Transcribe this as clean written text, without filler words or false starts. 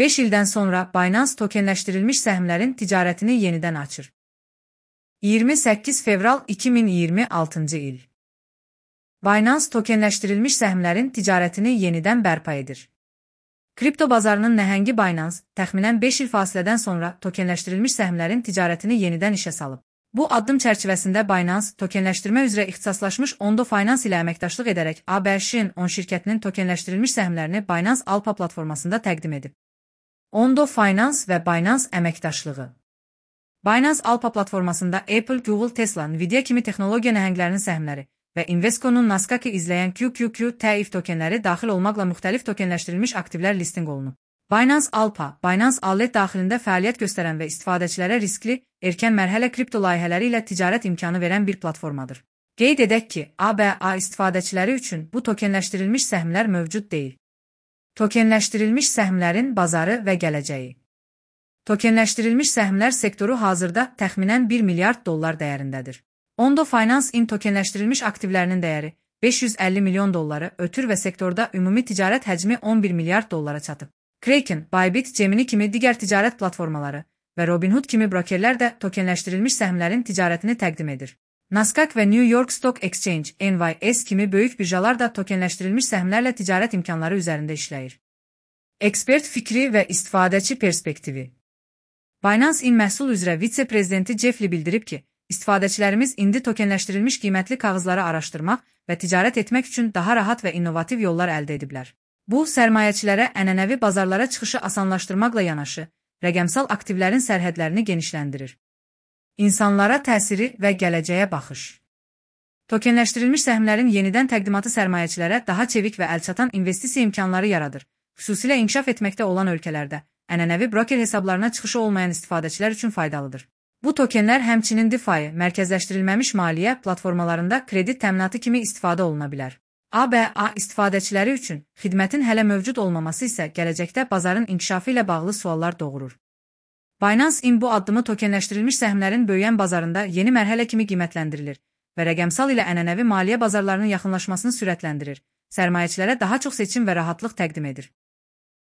5 ildən sonra Binance tokenləşdirilmiş səhmlərin ticarətini yenidən açır. 28 fevral 2026 il. Binance tokenləşdirilmiş səhmlərin ticarətini yenidən bərpa edir. Kripto bazarının nəhəngi Binance, təxminən 5 il fasilədən sonra tokenləşdirilmiş səhmlərin ticarətini yenidən işə salıb. Bu addım çərçivəsində Binance, tokenləşdirmə üzrə ixtisaslaşmış Ondo Finance ilə əməkdaşlıq edərək ABC-in 10 şirkətinin tokenləşdirilmiş səhmlərini Binance Alpha platformasında təqdim edib. Ondo Finance və Binance əməkdaşlığı. Binance Alpha platformasında Apple, Google, Tesla, Nvidia kimi texnologiya nəhənglərinin səhmləri və Invesco'nun Nasdaq'ı izləyən QQQ-TIF tokenləri daxil olmaqla müxtəlif tokenləşdirilmiş aktivlər listinq olunub. Binance Alpha, Binance Allet daxilində fəaliyyət göstərən və istifadəçilərə riskli, erkən mərhələ kripto layihələri ilə ticarət imkanı verən bir platformadır. Qeyd edək ki, ABA istifadəçiləri üçün bu tokenləşdirilmiş səhmlər mövcud deyil. Tokenləşdirilmiş səhmlərin bazarı və gələcəyi. Tokenləşdirilmiş səhmlər sektoru hazırda təxminən 1 milyard dollar dəyərindədir. Ondo Finance in tokenləşdirilmiş aktivlərinin dəyəri 550 milyon dolları ötür və sektorda ümumi ticarət həcmi 11 milyard dollara çatıb. Kraken, Bybit, Gemini kimi digər ticarət platformaları və Robinhood kimi brokerlər də tokenləşdirilmiş səhmlərin ticarətini təqdim edir. Nasdaq və New York Stock Exchange, NYSE kimi böyük birjalar da tokenləşdirilmiş səhmlərlə ticarət imkanları üzərində işləyir. Ekspert fikri və istifadəçi perspektivi. Binance in məhsul üzrə vitse-prezidenti Jeff Lee bildirib ki, istifadəçilərimiz indi tokenləşdirilmiş qiymətli kağızları araşdırmaq və ticarət etmək üçün daha rahat və innovativ yollar əldə ediblər. Bu, sərmayəçilərə ənənəvi bazarlara çıxışı asanlaşdırmaqla yanaşı, rəqəmsal aktivlərin sərhədlərini genişləndirir. İnsanlara təsiri və gələcəyə baxış. Tokenləşdirilmiş səhmlərin yenidən təqdimatı sərmayəçilərə daha çevik və əlçatan investisiya imkanları yaradır. Xüsusilə inkişaf etməkdə olan ölkələrdə ənənəvi broker hesablarına çıxışı olmayan istifadəçilər üçün faydalıdır. Bu tokenlər həmçinin DeFi, mərkəzləşdirilməmiş maliyyə platformalarında kredit təminatı kimi istifadə oluna bilər. ABA istifadəçiləri üçün xidmətin hələ mövcud olmaması isə gələcəkdə bazarın inkişafı ilə bağlı suallar doğurur. Binance in bu addımı tokenləşdirilmiş səhmlərin böyüyən bazarında yeni mərhələ kimi qiymətləndirilir və rəqəmsal ilə ənənəvi maliyyə bazarlarının yaxınlaşmasını sürətləndirir, sərmayəçilərə daha çox seçim və rahatlıq təqdim edir.